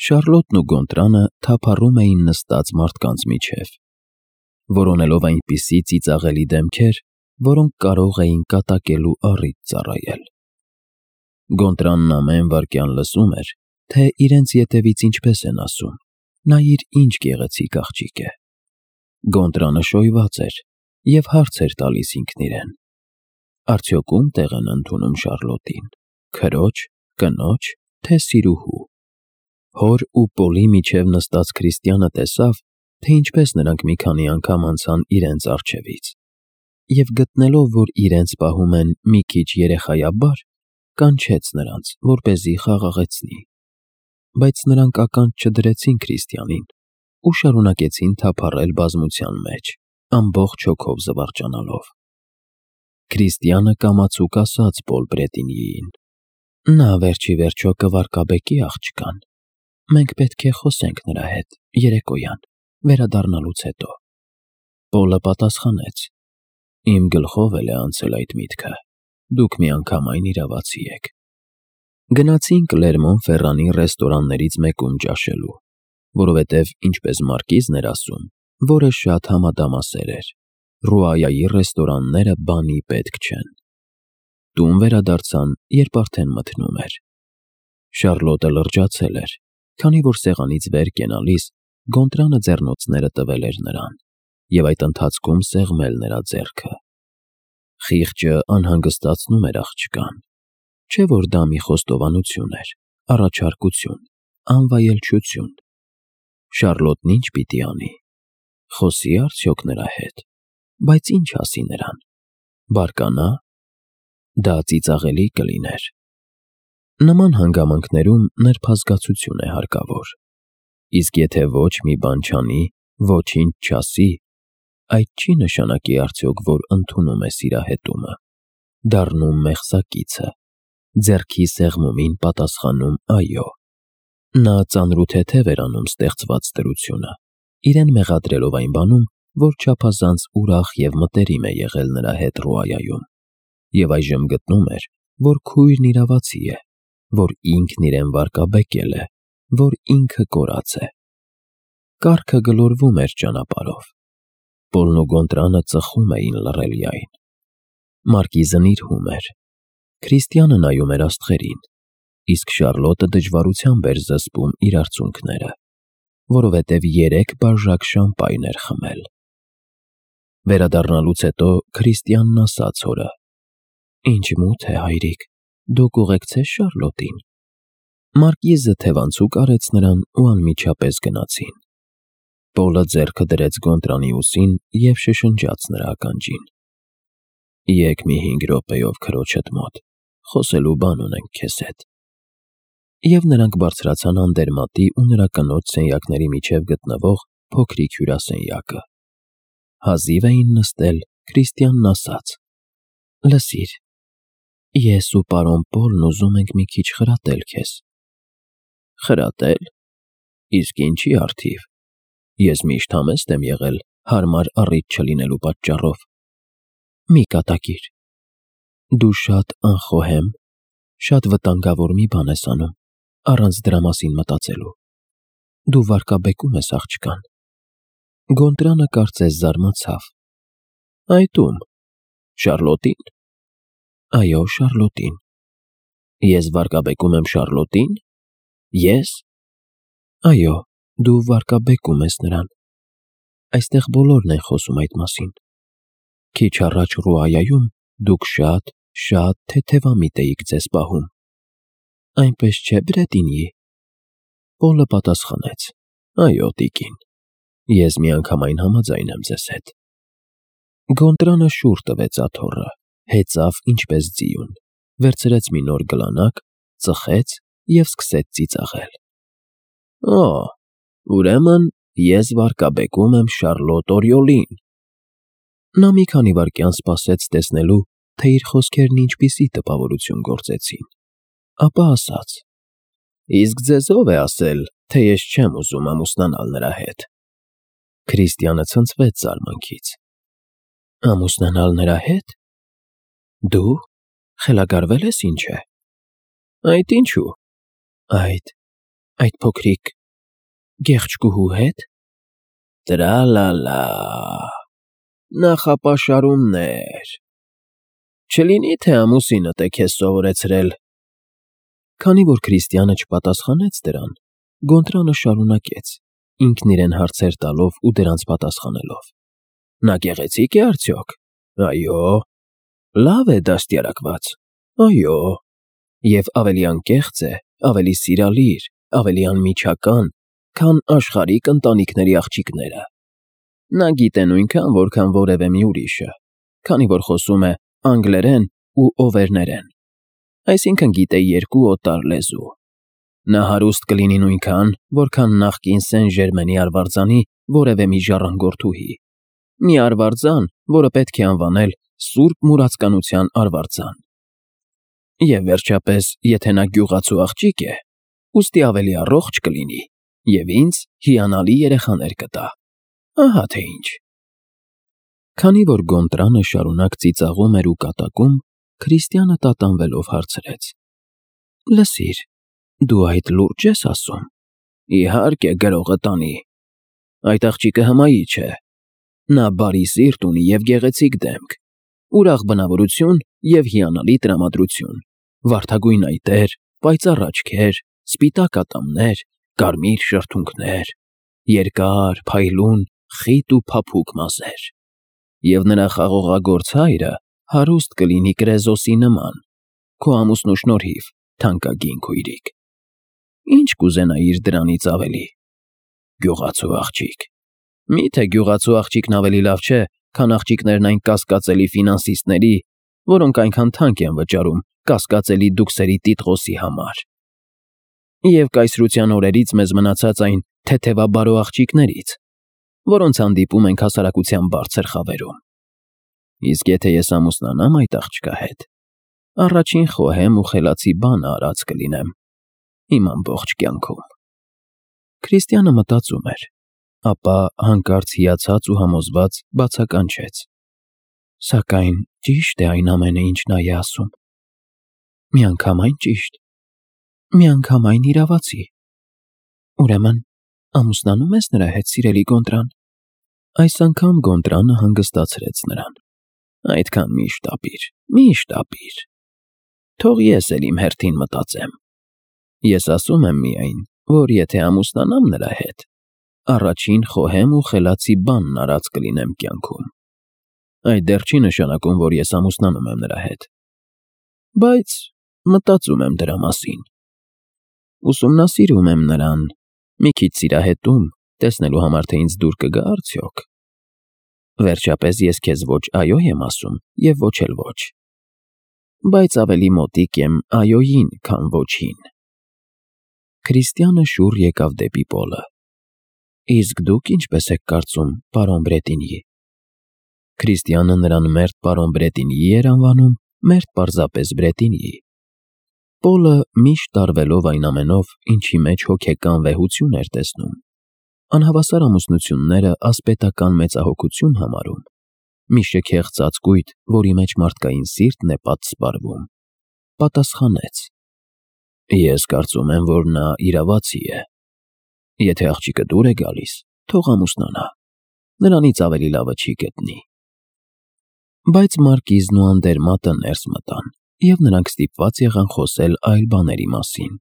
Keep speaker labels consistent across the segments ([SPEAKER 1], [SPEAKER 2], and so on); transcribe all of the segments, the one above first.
[SPEAKER 1] Շառլոտն ու Գոնտրանը թափառում էին նստած մարդկանց միջև, որոնելով այնպիսի ծիծաղելի դեմքեր, որոնք կարող էին կատակելու առիթ ծառայել։ Գոնտրանն ամեն վայրկյան լսում էր, թե իրենց ետևից ինչպես են ասում. «Նայիր, ինչ գեղեցիկ աղջիկ է»։ Գոնտրանը շոյված էր և հարց էր տալիս ինքն իրեն. արդյոք ում տեղ են ընդունում Շառլոտին՝ քրոջ, կնոջ, թե սիրուհու։ Հոր ու Պոլի միջև նստած Քրիստիանը տեսավ, թե ինչպես նրանք մի քանի անգամ անցան իրենց առջևից, և գտնելով, որ իրենց պահում են մի քիչ երեխայաբար, կանչեց նրանց, որպեսզի խաղաղեցնի։ Բայց նրանք ականջ չդրեցին Քրիստիանին ու շարունակեցին թափառել բազմության մեջ, ամբողջ հոգով զվարճանալով։ Քրիստիանը կամացուկ ասաց Պոլ Բրետինիին. «Նա վերջիվերջո կվարկաբեկի աղջկան։ Մենք պետք է խոսենք նրա հետ երեկոյան, վերադառնալուց հետո»։ Պոլը պատասխանեց. «Իմ գլխով էլ է անցել այդ միտքը, դուք միանգամայն իրավացի եք»։ Գնացին Կլերմոն-Ֆերրանի ռեստորաններից մեկում ճաշելու, որովհետև, ինչպես Մարկիզն էր ասում, որը շատ համադամասեր էր, Ռուայայի ռեստորանները բանի պետք չեն։ Տուն վերադարձան, երբ արդեն մթնում էր։ Շառլոտը լրջացել էր, քանի որ սեղանից վեր կենալիս Գոնտրանը ձեռնոցները տվել էր նրան և այդ ընթացքում սեղմել նրա ձեռքը։ Խիղճը անհանգստացնում էր աղջկան, չէ՞ որ դա մի խոստովանություն էր, առաջարկություն, անվայելչություն։ Շառլոտն ինչ պիտի անի։ Խոսի՞ արդյոք նրա հետ, բայց ինչ ասի նրան։ Բարկանա՞։ Դա ծիծաղելի կլիներ։ Նման հանգամանքներում նրբազգացություն է հարկավոր, իսկ եթե ոչ մի բան չանի, ոչինչ չասի, այդ չի նշանակի արդյոք, որ ընդունում է սիրահետումը, դառնում մեղսակիցը, ձեռքի սեղմումին պատասխանում այո։ Նա ծանրութեթև էր անում ստեղծված դրությունը, իրեն մեղադրելով այն բանում, որ չափազանց ուրախ և մտերիմ է եղել նրա հետ Ռուայայում, և այժմ գտնում էր, որ քույրն իրավացի է, որ ինքն իրեն վարկաբեկել է, որ ինքը կորած է։ Կառքը գլորվում էր ճանապարհով։ Պոլն ու Գոնտրանը ծխում էին լռելիայն։ Մարկիզն իր հում էր։ Քրիստիանը նայում էր աստղերին, իսկ Շառլոտը դժվարությամբ էր զսպում իր արցունքները, որովհետև 3 բաժակ շամպայն էր խմել։ Վերադառնալուց հետո Քրիստիանն ասաց հորը. «Ինչ մութ է, հայրիկ, դուք ուղեկցե՞ս Շառլոտին»։ Մարկիզը թևանցուկ արեց նրան ու անմիջապես գնացին։ Պոլը ձեռքը դրեց Գոնտրանի ուսին և շշնջաց նրա ականջին. «Եկ մի 5 րոպեով քրոջդ մոտ, խոսելու բան ունենք քեզ հետ»։ Եվ նրանք բարձրացան Անդերմատի ու նրա կնոջ սենյակների միջև գտնվող փոքրիկ հյուրասենյակը։ Հազիվ էին նստել, Քրիստիանն ասաց. «Լսիր, ես ու պարոն Պոլն ուզում ենք մի քիչ խրատել քեզ»։ «Խրատել։ Իսկ ինչի առթիվ։ Ես միշտ համեստ եմ եղել հարմար առիթ չլինելու պատճառով»։ «Մի կատակիր։ Դու շատ անխոհեմ, շատ վտանգավոր մի բան ես անում, առանց դրա մասին մտածելու։ Դու վարկաբեկում ես աղջկան»։ Գոնտրանը կարծես զարմացավ. «Այդ ո՞ւմ։ Շառլոտի՞ն»։ «Այո, Շառլոտին»։ «Ես վարկաբեկում եմ Շառլոտի՞ն։ Ես»։ «Այո, դու վարկաբեկում ես նրան։ Այստեղ բոլորն են խոսում այդ մասին։ Քիչ առաջ Ռուայայում դուք շատ թեթևամիտ էիք ձեզ պահում։ Այնպես չէ՞ Բրետինի»։ Պոլը պատասխանեց. «Այո, տիկին, ես միանգամայն համաձայն եմ ձեզ հետ»։ Գոնտրանը շուռ տվեց աթոռը, հեծավ ինչպես ձիուն, վերցրեց մի նոր գլանակ, ծխեց և սկսեց ծիծաղել։ «Օ, ուրեմն ես վարկաբեկում եմ Շառլոտ Օրիոլին»։ Նա մի քանի վայրկյան սպասեց տեսնելու, թե իր խոսքերն ինչպիսի տպավորություն գործեցին, ապա ասաց. «Իսկ ձեզ ո՞վ է ասել, թե ես չեմ ուզում ամուսնանալ նրա հետ»։ Քրիստիանը ցնցվեց զարմանքից. «Ամուսնանալ նրա հետ։ Դու խելագարվե՞լ ես ինչ է»։ «Այդ ինչու»։ «Այդ Այդ փոքրիկ գեղեցկուհու հետ։ Տրալալա, նախապաշարումներ։ Չլինի թե ամուսինդ է քեզ սովորեցրել։ Քանի որ Քրիստիանը չպատասխանեց դրան, Գոնտրանը շարունակեց, ինքն իրեն հարցեր տալով ու դրանց պատասխանելով. Նա գեղեցիկ է արդյոք։ Այո։ Լավ է դաստիարակված։ Այո։ Եվ ավելի անկեղծ է, ավելի սիրալիր, ավելի անմիջական, քան աշխարհիկ ընտանիքների աղջիկները։ Նա գիտե նույնքան, որքան որևէ մի ուրիշը, քանի որ խոսում է անգլերեն ու օվերներեն, այսինքն գիտե 2 օտար լեզու։ Նա հարուստ կլինի նույնքան, որքան նախկին Սեն Ժերմենի արվարձանի որևէ մի ժառանգորդուհի, մի արվարձան, որը պետք է անվանել Սուրբ Մուրացկանության արվարձան։ Եվ վերջապես, եթե նա գյուղացու աղջիկ է, ուստի ավելի առողջ կլինի և ինձ հիանալի երեխաներ կտա։ Ահա թե ինչ։ Քանի որ Գոնտրանը շարունակ ծիծաղում էր ու կատակում, Քրիստիանը տատանվելով հարցրեց. Լսիր, դու այդ լուրջ ես ասում։ Իհարկե, գրողը տանի։ Այդ աղջիկը հմայի չէ։ Նա բարի սիրտ ունի և գեղեցիկ դեմք, ուրախ բնավորություն և հիանալի տրամադրություն, վարդագույն այտեր, պայծառ աչքեր, սպիտակ ատամներ, կարմիր շրթունքներ, երկար, փայլուն, խիտ ու փափուկ մազեր։ Եվ նրա խաղողագործ հայրը հարուստ կլինի Կրեզոսի նման, քո ամուսնու շնորհիվ, թանկագին քույրիկ։ Ինչ կուզենայիր դրանից ավելի։ Գյուղացու աղջիկ։ Միթե գյուղացու աղջիկն ավելի լավ չէ, քան աղջիկներն այն կասկածելի ֆինանսիստների, որոնք այնքան թանկ են վճարում կասկածելի դուքսերի տիտղոսի համար։ Եվ կայսրության օրերից մեզ մնացած այն թեթևաբարո աղջիկներից, որոնց հանդիպում ենք հասարակության բարձր խավերում։ Իսկ եթե ես ամուսնանամ այդ աղջկա հետ, առաջին խոհեմ ու խելացի բանը արած կլինեմ իմ ամբողջ կյանքում։ Քրիստիանը մտածում էր, ապա հանկարծ հիացած ու համոզված բացականչեց. Սակայն ճիշտ է այն ամենը, ինչ նա է ասում։ Միանգամայն ճիշտ, միանգամայն իրավացի։ Ուրեմն ամուսնանում ես նրա հետ, սիրելի Գոնտրան։ Այս անգամ Գոնտրանը հանգստացրեց նրան։ Այդքան մի շտապիր։ Թող ես էլ իմ հերթին մտածեմ։ Ես ասում եմ միայն, որ եթե ամուսնանամ նրա հետ, առաջին խոհեմ ու խելացի բանն արած կլինեմ կյանքում։ Այդ դեռ չի նշանակում, որ ես ամուսնանում եմ նրա հետ։ Բայց մտածում եմ դրա մասին։ Ուսումնասիրում եմ նրան, մի քիչ սիրահետում, տեսնելու համար, թե ինձ դուր կգա արդյոք։ Վերջապես ես քեզ ոչ այո եմ ասում և ոչ էլ ոչ։ Բայց ավելի մոտիկ եմ այոյին, քան ոչին։ Քրիստիանը շուռ եկավ դեպի Պոլը։ Իսկ դուք ինչպես եք կարծում, պարոն Բրետինի։ Քրիստիանը նրան մերթ պարոն Բրետինի էր անվանում, մերթ պարզապես Բրետինի։ Պոլը միշտ տարվելով այն ամենով, ինչի մեջ հոգեկան վեհություն էր տեսնում, անհավասար ամուսնությունները ասպետական մեծահոգություն համարում, մի շքեղ ծածկույթ, որի մեջ մարդկային սիրտն է պատսպարվում, պատասխանեց. Ես կարծում եմ, որ նա իրավացի է։ Եթե աղջիկը դուր է գալիս, թող ամուսնանա, նրանից ավելի լավը չի գտնի։ Բայց Մարկիզն ու Անդերմատը ներս մտան, և նրանք ստիպված եղան խոսել այլ բաների մասին։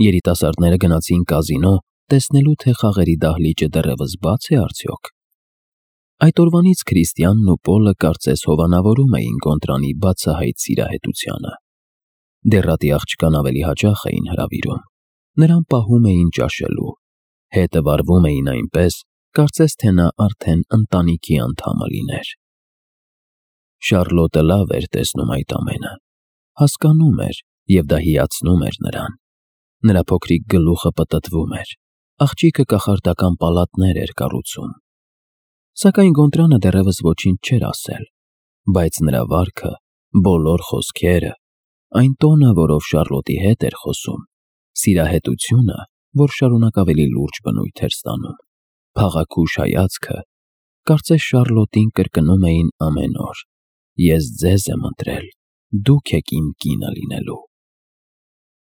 [SPEAKER 1] Երիտասարդները գնացին կազինո, տեսնելու, թե խաղերի դահլիճը դեռևս բաց է արդյոք։ Այդ օրվանից Քրիստիանն ու Պոլը կարծես հովանավորում էին Գոնտրանի բացահայտ սիրահետությանը։ Դեռատի աղջկան ավելի հաճախ էին հրավիրում, նրան պահում էին ճաշելու, հետը վարվում էին այնպես, կարծես թե նա արդեն ընտանիքի անդամը լիներ։ Շառլոտը լավ էր տեսնում այդ ամենը, հասկանում էր, և դա հիացնում էր նրան։ Նրա փոքրիկ գլուխը պտտվում էր, աղջիկը կախարդական պալատներ էր կառուցում։ Սակայն Գոնտրանը դեռևս ոչինչ չէր ասել, բայց նրա վարքը, բոլոր խոսքերը, այն տոնը, որով Շառլոտի հետ էր խոսում, սիրահետությունը, որ շարունակ ավելի լուրջ բնույթ էր ստանում, փաղաքուշ հայացքը, կարծես Շառլոտին կրկնում էին ամեն օր. Ես ձեզ եմ ընտրել, դուք եք իմ կինը լինելու։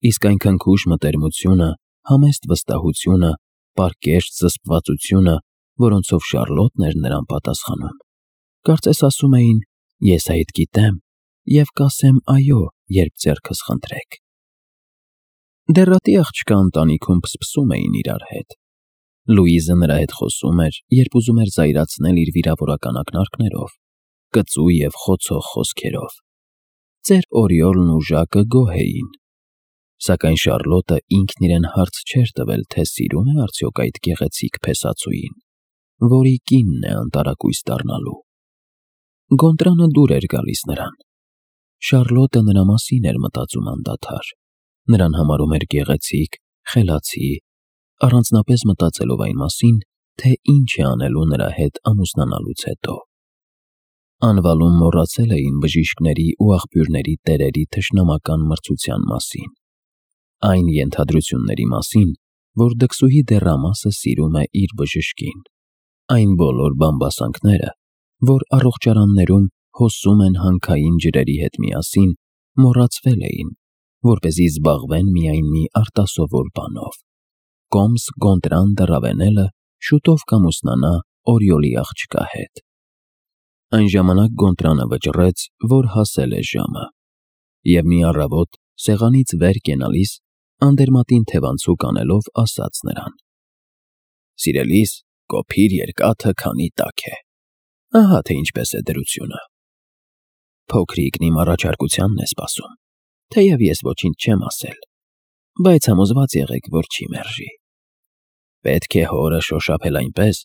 [SPEAKER 1] Իսկ այն քնքուշ մտերմությունը, համեստ վստահությունը, պարկեշտ զսպվածությունը, որոնցով Շարլոտն էր նրան պատասխանում։ Կարծես ասում էին. «Ես այդ գիտեմ և կասեմ այո, երբ ձեռքս խնդրեք»։ Դեռատի աղջկա ընտանիքում փսփսում էին իրար հետ։ Լուիզը նրա հետ խոսում էր, երբ ուզում էր զայրացնել իր վիրավորական ակնարկներով, կծու և խոցող խոսքերով։ Ծեր Օրիոլն ու Ժակը գոհ էին։ Սակայն Շարլոտը ինքն իրեն հարց չէր տվել, թե սիրում է արդյոք այդ գեղեցիկ փեսացուին, որի կինն է անտարակույս դառնալու։ Գոնտրանը դուր էր գալիս նրան։ Շարլոտը նրա մասին էր մտածում անդադար։ Նրան համարում էր գեղեցիկ, խելացի, առանձնապես մտածելով այն մասին, թե ինչ է անելու նրա հետ ամուսնանալուց հետո։ Անվալում մոռացել էին բժիշկների ու աղբյուրների տերերի թշնամական մրցության մասին։ Այն ենթադրությունների մասին, որ դքսուհի դեռամասը սիրում է իր բժշկին։ Այն բոլոր բամբասանքները, որ առողջարաններում հոսում են հանքային ջրերի հետ միասին, մոռացվել էին, որպեսզի զբաղվեն միայն մի արտասովոր բանով։ Կոմս Գոնտրան դը Ռավենելը շուտով կամուսնանա Օրիոլի աղջկա հետ։ Այն ժամանակ Գոնտրանը վճռեց, որ հասել է ժամը, և մի առավոտ սեղանից վեր կենալիս անդերմատին թևանցուկ անելով ասաց նրան. «Սիրելիս, կոփիր երկաթը, քանի տաք է։ Ահա թե ինչպես է դրությունը։ Փոքրիկն իմ առաջարկությանն է սպասում, թեև ես ոչինչ չեմ ասել, բայց համոզված եղեք, որ չի մերժի։ Պետք է հորը շոշափել այնպես,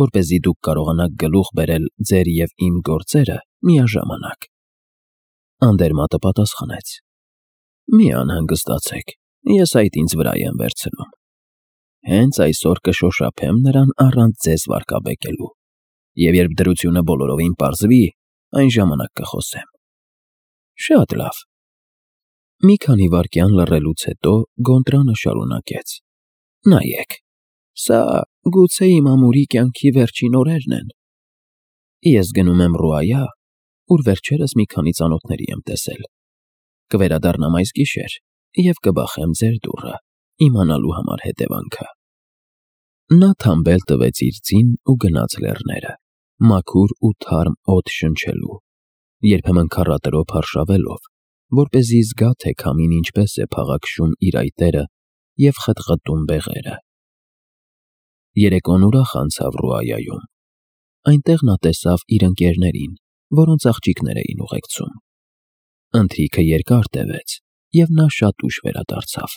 [SPEAKER 1] որպեսզի դուք կարողանաք գլուխ բերել ձեր և իմ գործերը միաժամանակ»։ Անդերմատը պատասխանեց. «Մի անհանգստացեք, ես այդ ինձ վրա եմ վերցնում։ Հենց այսօր կշոշափեմ նրան առանց ձեզ վարկաբեկելու, և երբ դրությունը բոլորովին պարզվի, այն ժամանակ կխոսեմ»։ Շատ լավ։ Մի քանի վայրկյան լռելուց հետո Գոնտրանը շարունակեց. «Նայեք, սա գուցե իմ ամուրի կյանքի վերջին օրերն են։ Ես գնում եմ Ռուայա, ուր վերջերս մի քանի ծանոթների եմ տեսել։ Կվերադառնամ այս գիշեր և կբախեմ ձեր դուռը, իմանալու համար հետևանքը»։ Նա թամբել տվեց իր ձին ու գնաց լեռները, մաքուր ու թարմ օդ շնչելու, երբեմն քառատրոփ արշավելով, որպեսզի զգա, թե քամին ինչպես է փաղաքշում իր այտերը և խտխտում բեղերը։ Երեկոն ուրախ անցավ Ռուայայում։ Այնտեղ նա տեսավ իր ընկերներին, որոնց աղջիկներ էին ուղեկցում։ Ընթրիքը երկար տևեց, և նա շատ ուշ վերադարձավ։